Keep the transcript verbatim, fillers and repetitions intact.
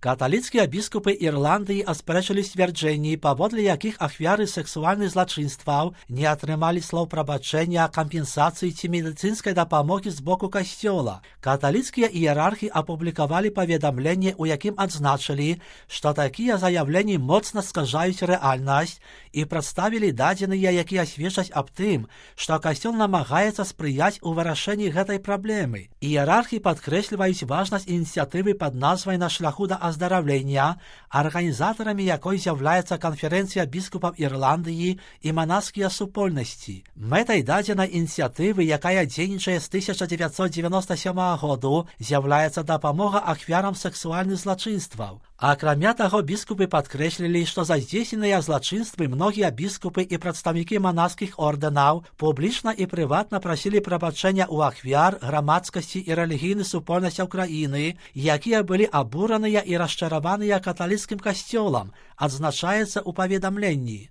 Каталіцкія біскупы Ірландыі аспрэчылі сцвярджэнні, паводле якіх ахвяры сексуальных злачынстваў не атрымалі слоў прабачэння, кампенсацыі ці медыцынскай дапамогі з боку касцёла. Каталіцкія іерархі апублікавалі паведамленне, у якім адзначылі, што такія заявленні моцна скажаюць рэальнасць і прадставілі дадзеныя, якія сведчаць аб тым, што касцёл намагаецца спрыяць у вырашэнні гэтай праблемы. Іерархі падкрэсліваюць важнасць ініцыятывы пад назвай «На шляху да аздараўлення», арганізатарамі якой з'яўляецца канферэнцыя біскупаў Ірландыі і манаскія супольнасці. Мэтай дадзенай ініцыятывы, якая дзейнічае з тысяча дзевяцьсот дзевяноста сёмага году, з'яўляецца дапамога ахвярам сексуальных злачынстваў. Акрамя таго, біскупы падкрэслілі, што за здзейсненыя злачынствы многія біскупы і прадстаўнікі манаскіх ордэнаў публічна і прыватна прасілі прабачэння ў ахвяр, грамадскасці і рэлігійных супольнасцяў краіны, якія былі абураныя і расчараваныя каталіцкім касцёлам, адзначаецца ў паведамленні.